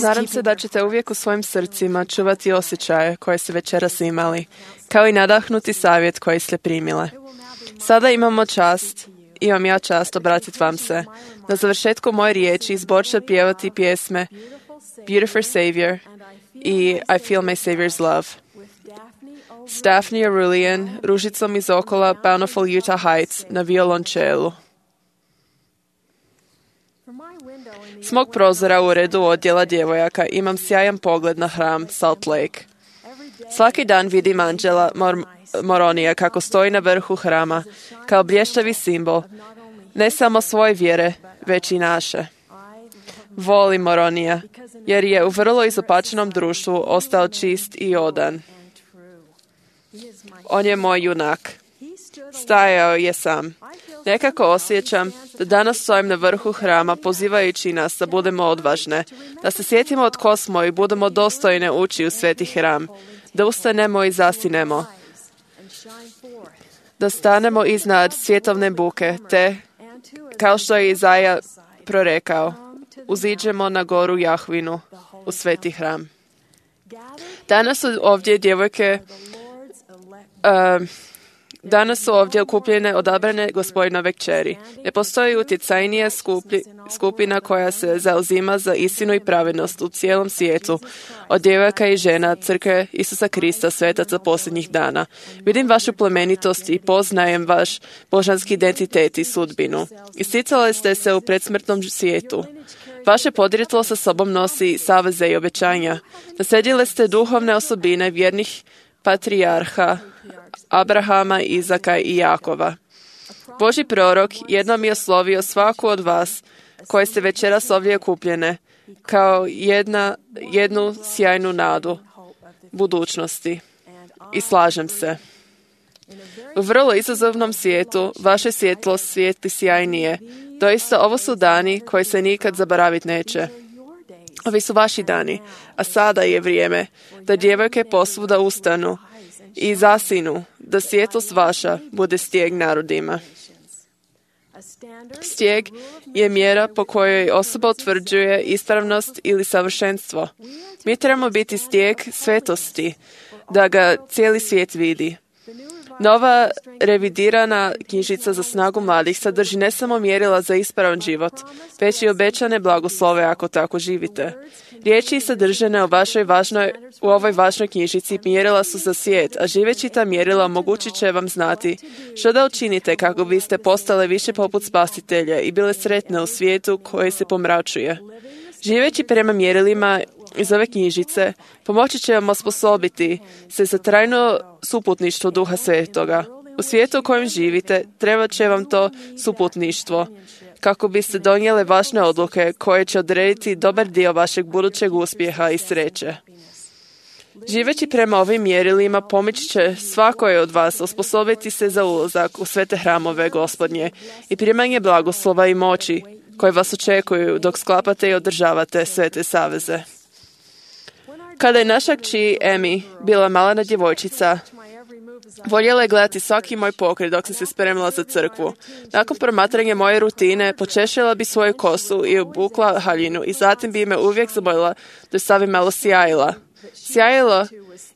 Nadam se da ćete uvijek u svojim srcima čuvati osjećaje koje ste večeras imali, kao i nadahnuti savjet koji ste primile. Sada imam ja čast obratiti vam se. Na završetku moje riječi zbor će pjevati pjesme Beautiful Savior i I Feel My Savior's Love. S Daphne Arulian, Ružicom iz okola Bountiful Utah Heights na violončelu. S mog prozora u redu odjela djevojaka imam sjajan pogled na hram Salt Lake. Svaki dan vidim anđela Moronija kako stoji na vrhu hrama, kao blještavi simbol, ne samo svoje vjere, već i naše. Volim Moronija, jer je u vrlo izopačenom društvu ostao čist i odan. On je moj junak. Stajao je sam. Nekako osjećam da danas stojim na vrhu hrama pozivajući nas da budemo odvažne, da se sjetimo od tko smo i budemo dostojne ući u sveti hram, da ustanemo i zastinemo, da stanemo iznad svjetovne buke, te, kao što je Izaja prorekao, uziđemo na goru Jahvinu u sveti hram. Danas su ovdje Danas su ovdje okupljene odabrane Gospodinove kćeri. Ne postoji utjecajnija skupina koja se zauzima za istinu i pravednost u cijelom svijetu, od djevojaka i žena Crkve Isusa Krista, svetaca posljednjih dana. Vidim vašu plemenitost i poznajem vaš božanski identitet i sudbinu. Isticali ste se u predsmrtnom svijetu. Vaše podrijetlo sa sobom nosi saveze i obećanja. Naslijedili ste duhovne osobine vjernih patrijarha Abrahama, Izaka i Jakova. Božji prorok jednom je oslovio svaku od vas koje ste večeras ovdje okupljene kao jednu sjajnu nadu budućnosti. I slažem se. U vrlo izazovnom svijetu vaše svjetlo svijetli sjajnije. Doista ovo su dani koji se nikad zaboraviti neće. Ovi su vaši dani, a sada je vrijeme da djevojke posvuda ustanu i zasinu, da svjetlost vaša bude stijeg narodima. Stijeg je mjera po kojoj osoba utvrđuje ispravnost ili savršenstvo. Mi trebamo biti stijeg svetosti, da ga cijeli svijet vidi. Nova revidirana knjižica za snagu mladih sadrži ne samo mjerila za ispravan život, već i obećane blagoslove ako tako živite. Riječi sadržane u ovoj važnoj knjižici mjerila su za svijet, a živeći ta mjerila omogućit će vam znati što da učinite kako biste postale više poput Spasitelja i bile sretne u svijetu koji se pomračuje. Živeći prema mjerilima iz ove knjižice, pomoći će vam osposobiti se za trajno suputništvo Duha Svetoga. U svijetu u kojem živite, trebat će vam to suputništvo, kako biste donijele važne odluke koje će odrediti dobar dio vašeg budućeg uspjeha i sreće. Živeći prema ovim mjerilima pomoći će svakoj od vas osposobiti se za ulazak u svete hramove Gospodnje i primanje blagoslova i moći koje vas očekuju dok sklapate i održavate svete saveze. Kada je naša kći Emi bila malena djevojčica, voljela je gledati svaki moj pokret dok sam se spremila za crkvu. Nakon promatranja moje rutine, počešila bi svoju kosu i obukla haljinu i zatim bi me uvijek zamolila da stavim malo sjajila. Sjajilo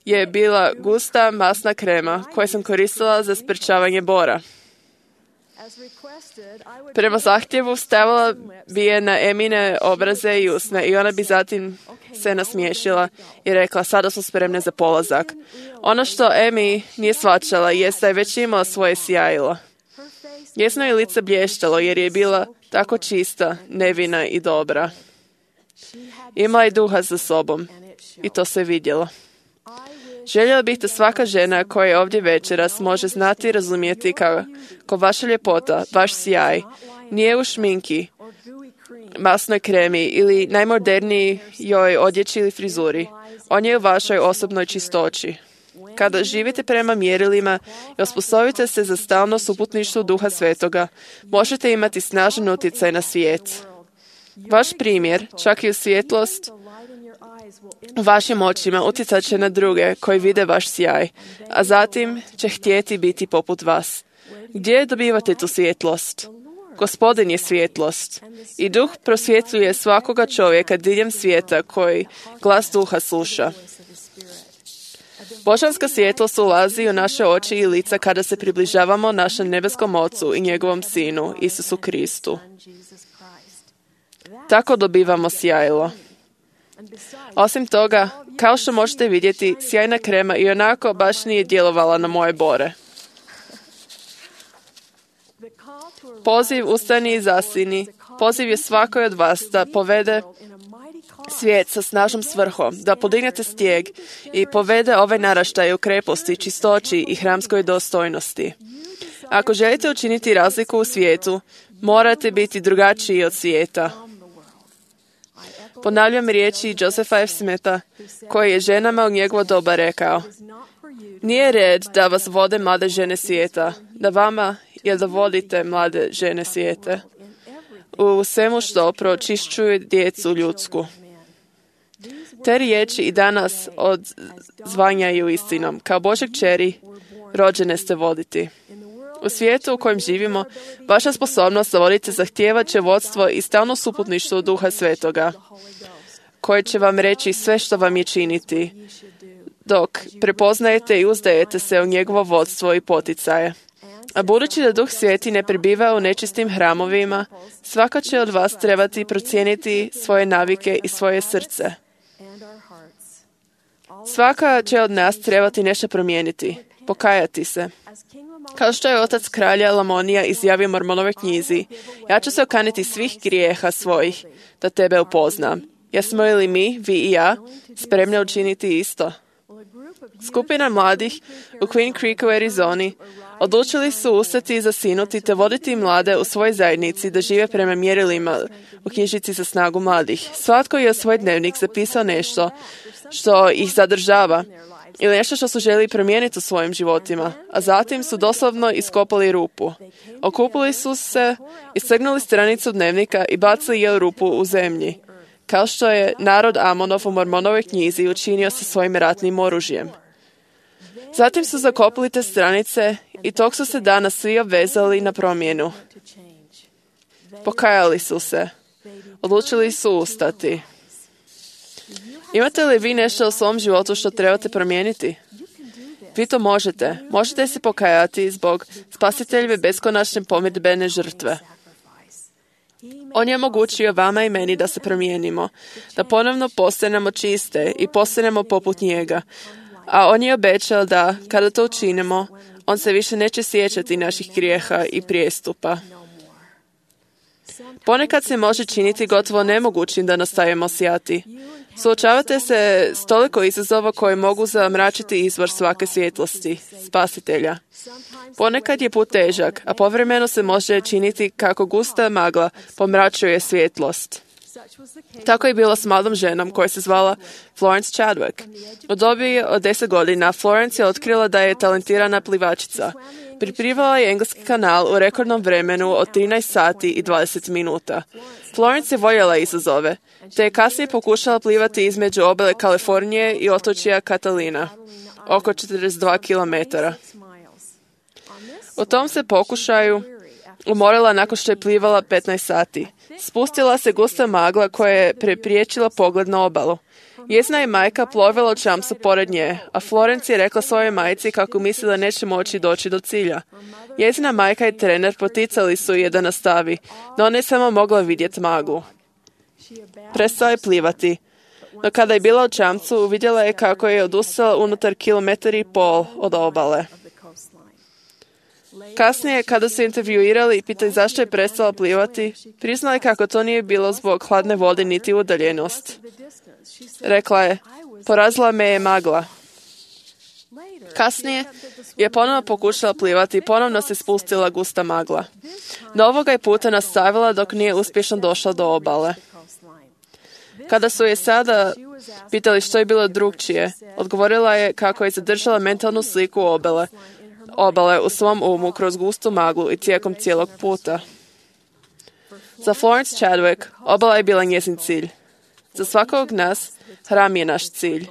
je bila gusta masna krema koju sam koristila za sprečavanje bora. Prema zahtjevu stavila bi je na Emine obraze i usne i ona bi zatim se nasmiješila i rekla, sada smo spremne za polazak. Ono što Emi nije shvaćala jest da je već imala svoje sjajilo. Njezino je lice blještalo jer je bila tako čista, nevina i dobra. Imala je duha za sobom i to se vidjelo. Željela bih da svaka žena koja je ovdje večeras može znati i razumjeti kako vaša ljepota, vaš sjaj, nije u šminki, masnoj kremi ili najmodernijoj odjeći ili frizuri. On je u vašoj osobnoj čistoći. Kada živite prema mjerilima i osposobite se za stalno suputništvo Duha Svetoga, možete imati snažan utjecaj na svijet. Vaš primjer, čak i u svjetlost, u vašim očima utjecat će na druge koji vide vaš sjaj, a zatim će htjeti biti poput vas. Gdje dobivate tu svjetlost? Gospodin je svjetlost i duh prosvjetljuje svakoga čovjeka diljem svijeta koji glas duha sluša. Božanska svjetlost ulazi u naše oči i lica kada se približavamo našem nebeskom Ocu i njegovom Sinu, Isusu Kristu. Tako dobivamo sjajilo. Osim toga, kao što možete vidjeti, sjajna krema i onako baš nije djelovala na moje bore. Poziv ustani i zasini. Poziv je svakoj od vas da povede svijet sa snažnom svrhom, da podignete stijeg i povede ove naraštaje u kreposti, čistoći i hramskoj dostojnosti. Ako želite učiniti razliku u svijetu, morate biti drugačiji od svijeta. Ponavljam riječi Josepha F. Smitha, koji je ženama u njegovo doba rekao: nije red da vas vode mlade žene svijeta, da vama je da vodite mlade žene svijeta u svemu što pročišćuje djecu ljudsku. Te riječi i danas odzvanjaju istinom. Kao Božje kćeri, rođene ste voditi. U svijetu u kojem živimo, vaša sposobnost da vodite zahtijevat će vodstvo i stalno suputništvo Duha Svetoga, koji će vam reći sve što vam je činiti, dok prepoznajete i uzdajete se u njegovo vodstvo i poticaje. A budući da Duh Sveti ne prebiva u nečistim hramovima, svaka će od vas trebati procijeniti svoje navike i svoje srce. Svaka će od nas trebati nešto promijeniti, pokajati se. Kao što je otac kralja Lamonija izjavio u Mormonovoj knjizi: ja ću se okaniti svih grijeha svojih da tebe upoznam. Jesmo li mi, vi i ja, spremni učiniti isto? Skupina mladih u Queen Creeku u Arizoni odlučili su ustati i zasinuti te voditi mlade u svojoj zajednici da žive prema mjerilima u knjižici za snagu mladih. Svatko je u svoj dnevnik zapisao nešto što ih zadržava ili nešto što su želi promijeniti u svojim životima, a zatim su doslovno iskopali rupu. Okupili su se, istrgnuli stranicu dnevnika i bacili je u rupu u zemlji, kao što je narod Amonov u Mormonovoj knjizi učinio sa svojim ratnim oružjem. Zatim su zakopali te stranice i tog su se dana svi obvezali na promjenu. Pokajali su se. Odlučili su ustati. Imate li vi nešto u svom životu što trebate promijeniti? Vi to možete. Možete se pokajati zbog Spasiteljeve beskonačne pomirdbene žrtve. On je omogućio vama i meni da se promijenimo, da ponovno postanemo čiste i postanemo poput njega. A on je obećao da, kada to učinimo, on se više neće sjećati naših grijeha i prijestupa. Ponekad se može činiti gotovo nemogućim da nastavimo sijati. Suočavate se s toliko izazova koje mogu zamračiti izvor svake svjetlosti, Spasitelja. Ponekad je put težak, a povremeno se može činiti kako gusta magla pomračuje svjetlost. Tako je bilo s mladom ženom koja se zvala Florence Chadwick. U dobi od 10 godina Florence je otkrila da je talentirana plivačica. Priplivala je engleski kanal u rekordnom vremenu od 13 sati i 20 minuta. Florence je voljela izazove, te je kasnije pokušala plivati između obale Kalifornije i otočja Catalina, oko 42 km. U tom se pokušaju umorila nakon što je plivala 15 sati. Spustila se gusta magla koja je prepriječila pogled na obalu. Njezina je majka plovila u čamcu pored nje, a Florence je rekla svojoj majci kako misli da neće moći doći do cilja. Njezina majka i trener poticali su je da nastavi, no ona je samo mogla vidjeti maglu. Prestala je plivati, no kada je bila u čamcu, vidjela je kako je odustala unutar 1,5 kilometra od obale. Kasnije, kada su intervjuirali i pitali zašto je prestala plivati, priznala je kako to nije bilo zbog hladne vode niti udaljenost. Rekla je, porazila me je magla. Kasnije je ponovno pokušala plivati i ponovno se spustila gusta magla. No ovoga je puta nastavila dok nije uspješno došla do obale. Kada su je sada pitali što je bilo drugčije, odgovorila je kako je zadržala mentalnu sliku obale u svom umu kroz gustu maglu i tijekom cijelog puta. Za Florence Chadwick obala je bila njezin cilj. Za svakog nas hram je naš cilj.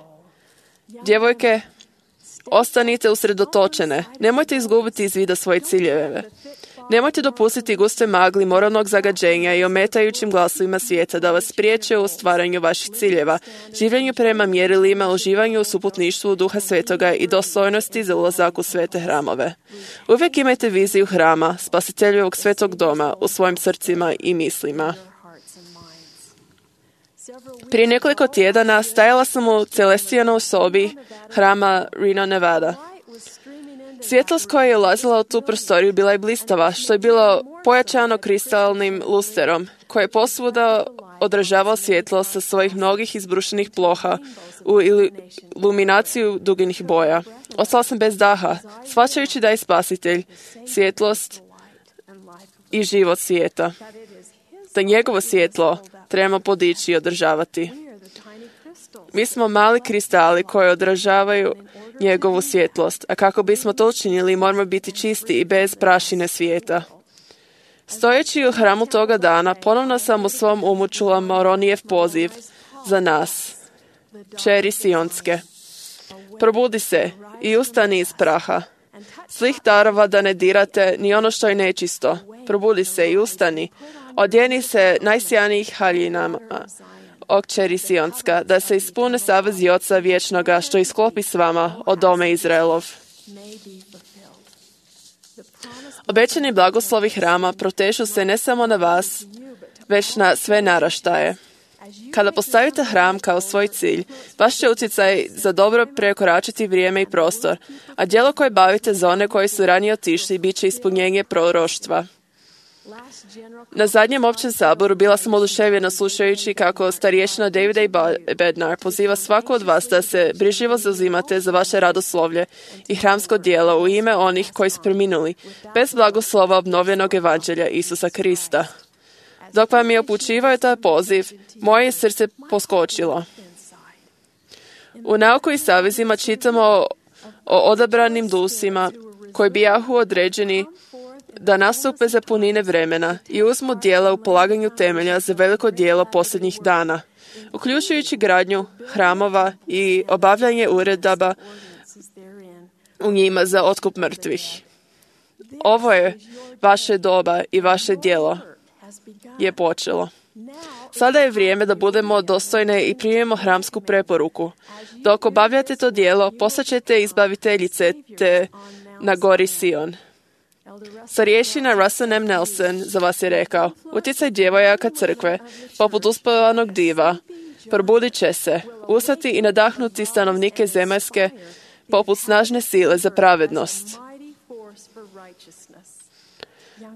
Djevojke, Ostanite usredotočene. Nemojte izgubiti iz vida svoje ciljeve. Nemojte dopustiti gustoj magli moralnog zagađenja i ometajućim glasovima svijeta da vas spriječe u stvaranju vaših ciljeva, življenju prema mjerilima, uživanju u suputništvu Duha Svetoga i dostojnosti za ulazak u svete hramove. Uvijek imajte viziju hrama, Spasiteljevog svetog doma u svojim srcima i mislima. Prije nekoliko tjedana stajala sam u Celestijanoj sobi hrama Reno, Nevada. Svjetlost koja je ulazila u tu prostoriju bila je blistava, što je bilo pojačano kristalnim lusterom, koje je posvuda odražavao svjetlo sa svojih mnogih izbrušenih ploha u iluminaciju duginih boja. Ostala sam bez daha, shvaćajući da je Spasitelj, svjetlost i život svijeta. Da njegovo svjetlo trebamo podići i održavati. Mi smo mali kristali koji odražavaju njegovu svjetlost, a kako bismo to učinili, moramo biti čisti i bez prašine svijeta. Stojeći u hramu toga dana, ponovno sam u svom umu čula Moronijev poziv za nas, kćeri Sionske. Probudi se i ustani iz praha. Zlih darova da ne dirate ni ono što je nečisto. Probudi se i ustani. Odjeni se najsjajnijih haljinama, o kćeri Sionska, da se ispune savezi Oca vječnoga što isklopi s vama od dome Izraelov. Obećani blagoslovi hrama protežu se ne samo na vas, već na sve naraštaje. Kada postavite hram kao svoj cilj, vaš će utjecaj za dobro prekoračiti vrijeme i prostor, a djelo koje bavite za one koji su ranije otišli bit će ispunjenje proroštva. Na zadnjem općem saboru bila sam oduševljena slušajući kako starješina David A. Bednar poziva svako od vas da se brižljivo zauzimate za vaše radoslovlje i hramsko djelo u ime onih koji su preminuli, bez blagoslova obnovljenog evanđelja Isusa Krista. Dok vam je upućivao taj poziv, moje je srce poskočilo. U Nauku i savezima čitamo o odabranim dusima koji bijahu određeni da nastupe za punine vremena i uzmu djela u polaganju temelja za veliko djelo posljednjih dana, uključujući gradnju hramova i obavljanje uredaba u njima za otkup mrtvih. Ovo je vaše doba i vaše djelo je počelo. Sada je vrijeme da budemo dostojne i primimo hramsku preporuku. Dok obavljate to djelo, postaćete izbaviteljice te na gori Sion. Starješina Russell M. Nelson za vas je rekao: utjecaj djevojaka crkve, poput uspavanog diva, probudit će se, ustati i nadahnuti stanovnike zemaljske, poput snažne sile za pravednost.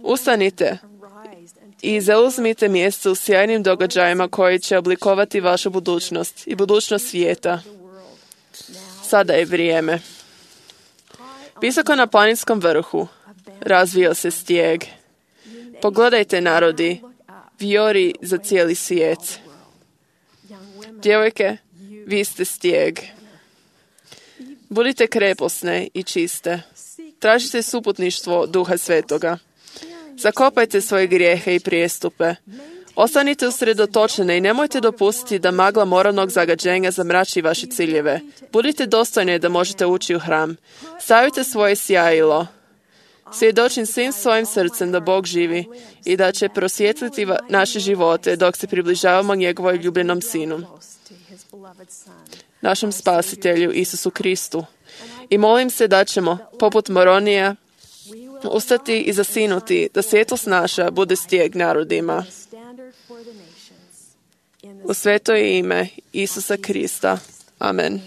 Ustanite i zauzmite mjesto u sjajnim događajima koji će oblikovati vašu budućnost i budućnost svijeta. Sada je vrijeme. Visoko na planinskom vrhu razvio se stijeg. Pogledajte, narodi, vijori za cijeli svijet. Djevojke, vi ste stijeg. Budite kreposne i čiste. Tražite suputništvo Duha Svetoga. Zakopajte svoje grijehe i prijestupe. Ostanite usredotočene i nemojte dopustiti da magla moralnog zagađenja zamrači vaše ciljeve. Budite dostojni da možete ući u hram. Stavite svoje sjajilo. Svjedočim svim svojim srcem da Bog živi i da će prosvjetliti naše živote dok se približavamo njegovoj ljubljenom Sinu, našem Spasitelju Isusu Kristu. I molim se da ćemo, poput Moronija, ustati i zasinuti da svjetlost naša bude stijeg narodima. U sveto ime Isusa Krista. Amen.